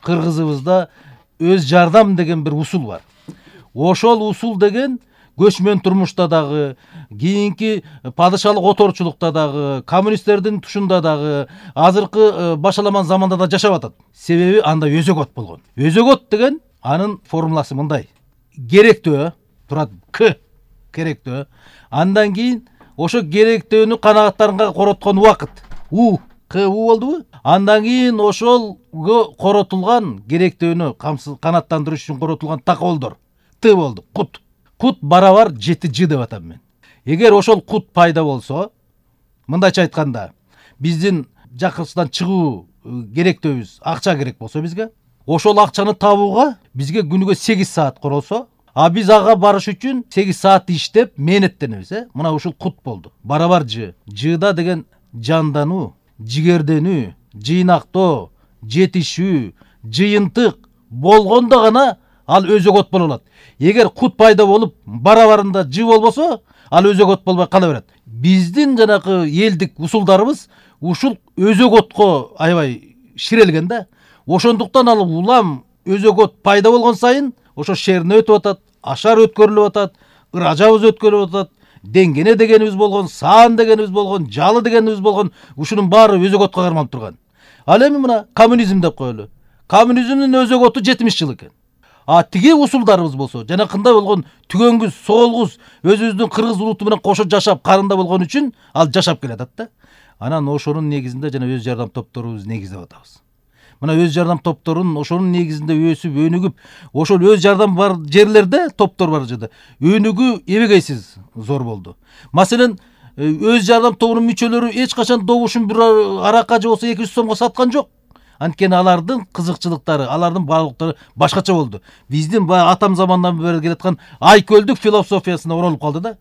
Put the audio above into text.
кыргызыбызда өз жардам деген бир усул бар. Ошол усул деген көчмөн турмушта дагы, кийинки падышалык оторчулукта дагы, коммунисттердин тушунда дагы, азыркы башаламан заманда да жашап атат. Себеби анда өзөгөт болгон. Өзөгөт деген анын формуласы мындай: керектөө турат к керектөө. Андан кийин ошо керектөөнү канагаттарга короткон убакыт у к у болдубу? Андан кийин ошолго коротулган керектөөнү канаттандырыш үчүн коротулган такоолдор т болду. Кут. Кут барабар 7 деп атам мен. Эгер ошол кут пайда болсо, мындайча айтканда, биздин жакыртыштан чыгуу керектөөбүз акча керек болсо бизге, ошол акчаны табууга бизге күнүгө 8 саат королсо, а биз ага барыш үчүн 8 саат иштеп мээнеттенебиз, Мына ушул кут болду. Барабар ж. Жда деген жандануу, жигерденүү, жыйнактоо, жетишүү, жыйынтык болгондо гана ал өзөгөт боло алат. Эгер кут пайда болуп, барабарында ж болбосо, ал өзөгөт болбой кала берет. Биздин жанакы элдик усулдарыбыз ушул өзөгөткө аябай ширелген да. Ошондуктан ал улам өзөгөт пайда болгон сайын ошо шерне өтүп атат, ашар өткөрүлүп атат, ыражабыз өткөрүлүп атат, деңгене дегенибиз болгон, саан дегенибиз болгон, жалы дегенибиз болгон, ушунун баары өзөгөткө кармалып турган. Ал эми мына коммунизм деп коелу. Коммунизмдин өзөгөтү 70 жыл экен. А тиги усулдарыбыз болсо, жанакындай болгон түгөнгүз, соолгуз, өзүбүздүн кыргыз улуту менен кошо жашап, карында болгон үчүн ал жашап келатат да. Анан ошонун негизинде жана өз жардам топторубуз негиздеп атабыз. Мына өз жардам топторун ошонун негизинде өсүп, өнүгүп, ошол өз жардам бар жерлерде, топтор бар жерде өнүгүү эбегейсиз зор болду. Маселен, өз жардам тобунун мүчөлөрү эч качан добушун бир аракка же болсо 200 сомго саткан жок. Анткени алардын кызыкчылыктары, алардын баалыктары башкача болду. Биздин атам замандан бери келаткан айкөлдүк философиясына оролуп калды да.